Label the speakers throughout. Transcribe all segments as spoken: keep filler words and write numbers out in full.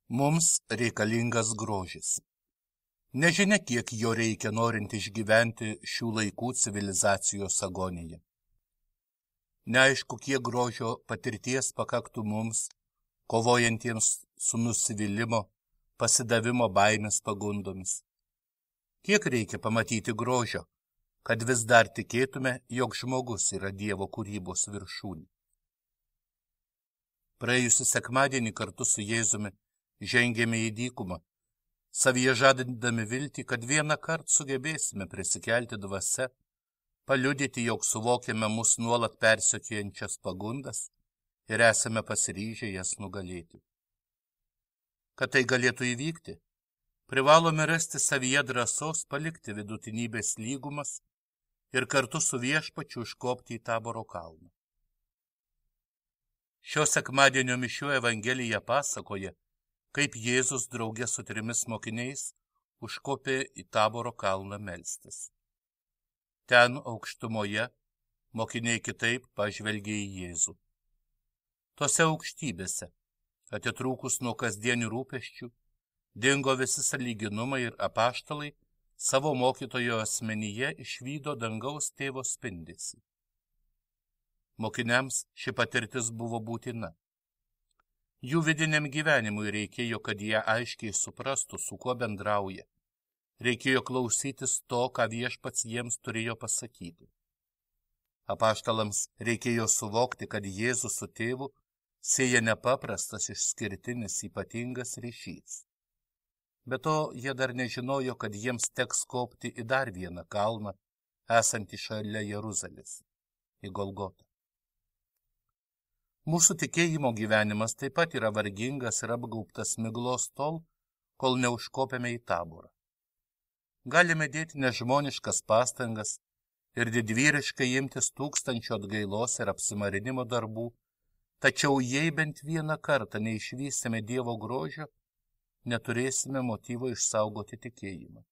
Speaker 1: Mums reikalingas grožis. Nežinia, kiek jo reikia norint išgyventi šių laikų civilizacijos agoniją. Neaišku, kiek grožio patirties pakaktų mums, kovojantiems su nusivylimo, pasidavimo baimės pagundomis. Kiek reikia pamatyti grožio, kad vis dar tikėtume, jog žmogus yra Dievo kūrybos viršūnė. Praėjusį sekmadienį kartu su Jėzumi žengėme į dykumą, savyje žadindami viltį, kad vieną kartą sugebėsime prisikelti dvasia, paliudyti, jog suvokiame mus nuolat persekiojančias pagundas ir esame pasiryžę jas nugalėti. Kad tai galėtų įvykti, privalome rasti savyje drąsos palikti vidutinybės lygumas ir kartu su Viešpačiu užkopti į Taboro kalną. Šio sekmadienio mišių Evangelija pasakoja, kaip Jėzus drauge su trimis mokiniais užkopė į Taboro kalną melstis. Ten aukštumoje mokiniai kitaip pažvelgė į Jėzų. Tose aukštybėse, atitrūkus nuo kasdienių rūpesčių, dingo visi sąlyginumai ir apaštalai savo mokytojo asmenyje išvydo dangaus tėvo spindesį. Mokiniams ši patirtis buvo būtina. Jų vidiniam gyvenimui reikėjo, kad jie aiškiai suprastų, su kuo bendrauja. Reikėjo klausytis to, ką Viešpats jiems turėjo pasakyti. Apaštalams reikėjo suvokti, kad Jėzus su tėvu sieja nepaprastas, išskirtinis, ypatingas ryšys. Be to, jie dar nežinojo, kad jiems teks kopti į dar vieną kalną, esantį šalia Jeruzalės, į Golgotą. Mūsų tikėjimo gyvenimas taip pat yra vargingas ir apgaubtas miglos tol, kol neužkopėme į Taborą. Galime dėti nežmoniškas pastangas ir didvyriškai imtis tūkstančio atgailos ir apsimarinimo darbų, tačiau jei bent vieną kartą neišvysime Dievo grožio, neturėsime motyvo išsaugoti tikėjimą.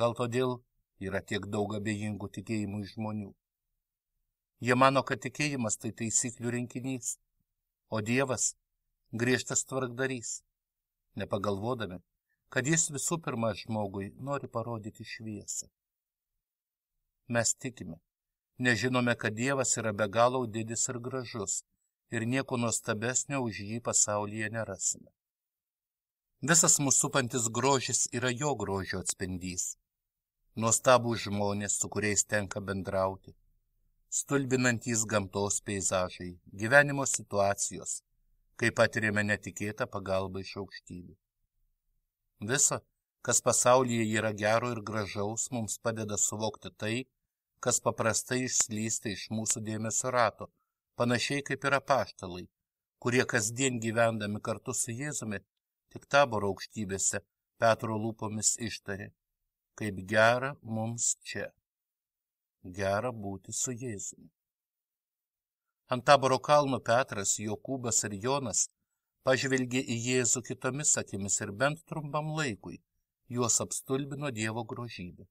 Speaker 1: Gal todėl yra tiek daug abejingų tikėjimų žmonių. Jie mano, kad tikėjimas tai taisyklių rinkinys, o Dievas griežtas tvarkdarys, nepagalvodami, kad jis visų pirma žmogui nori parodyti šviesą. Mes tikime, nežinome, kad Dievas yra be galo didis ir gražus ir nieko nuostabesnio už jį pasaulyje nerasime. Visas mūsų supantis grožis yra jo grožio atspindys. Nuostabūs žmonės, su kuriais tenka bendrauti, stulbinantys gamtos peizažai, gyvenimo situacijos, kai patirėme netikėtą pagalbą iš aukštybių. Visa, kas pasaulyje yra gero ir gražaus, mums padeda suvokti tai, kas paprastai išslysta iš mūsų dėmesio rato, panašiai kaip ir apaštalai, kurie kasdien gyvendami kartu su Jėzumi, tik Taboro aukštybėse Petro lūpomis ištarė, kaip gera mums čia. Gera būti su Jėzumi. Ant Taboro kalno Petras, Jokūbas ir Jonas pažvelgė į Jėzų kitomis akimis ir bent trumpam laikui juos apstulbino Dievo grožybė.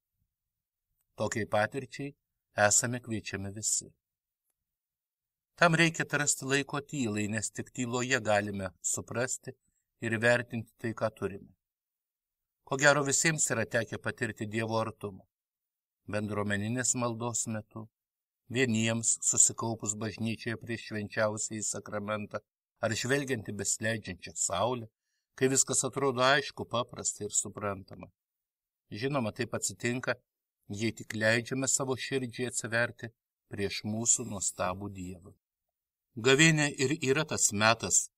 Speaker 1: Tokiai patirčiai esame kviečiami visi. Tam reikia atrasti laiko tylai, nes tik tyloje galime suprasti ir vertinti tai, ką turime. Ko gero visiems yra tekę patirti Dievo artumą. Bendruomeninės maldos metu, vieniems susikaupus bažnyčioje prieš švenčiausiąjį sakramentą, ar žvelgiant į besleidžiančią saulę, kai viskas atrodo aišku, paprasta ir suprantama. Žinoma, taip atsitinka, jei tik leidžiame savo širdžiai atsiverti prieš mūsų nuostabų Dievą. Gavėnia ir yra tas metas,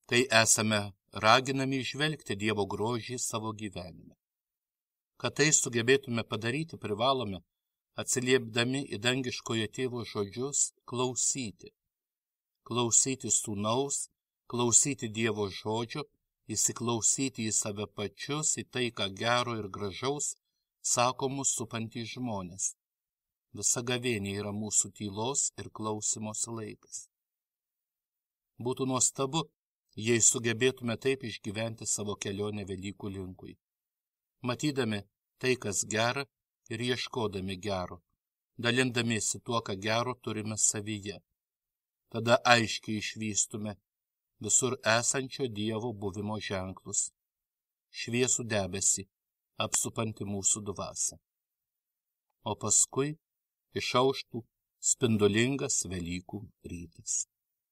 Speaker 1: kai esame raginami įžvelgti Dievo grožį savo gyvenime. Kad tai sugebėtume padaryti, privalome, atsiliepdami į dangiškojo tėvo žodžius, klausyti. Klausyti sūnaus, klausyti Dievo žodžio, įsiklausyti į save pačius, į tai, ką gero ir gražaus sako mūsų supantys žmonės. Visa gavėnė yra mūsų tylos ir klausimosi laikas. Būtų nuostabu, jei sugebėtume taip išgyventi savo kelionę Velykų linkui. Matydami tai, kas gera ir ieškodami gero, dalindamiesi tuo, ką gero turime savyje. Tada aiškiai išvystume visur esančio Dievo buvimo ženklus, šviesų debesį, apsupanti mūsų dvasią. O paskui išauštų spindulingas Velykų rytas.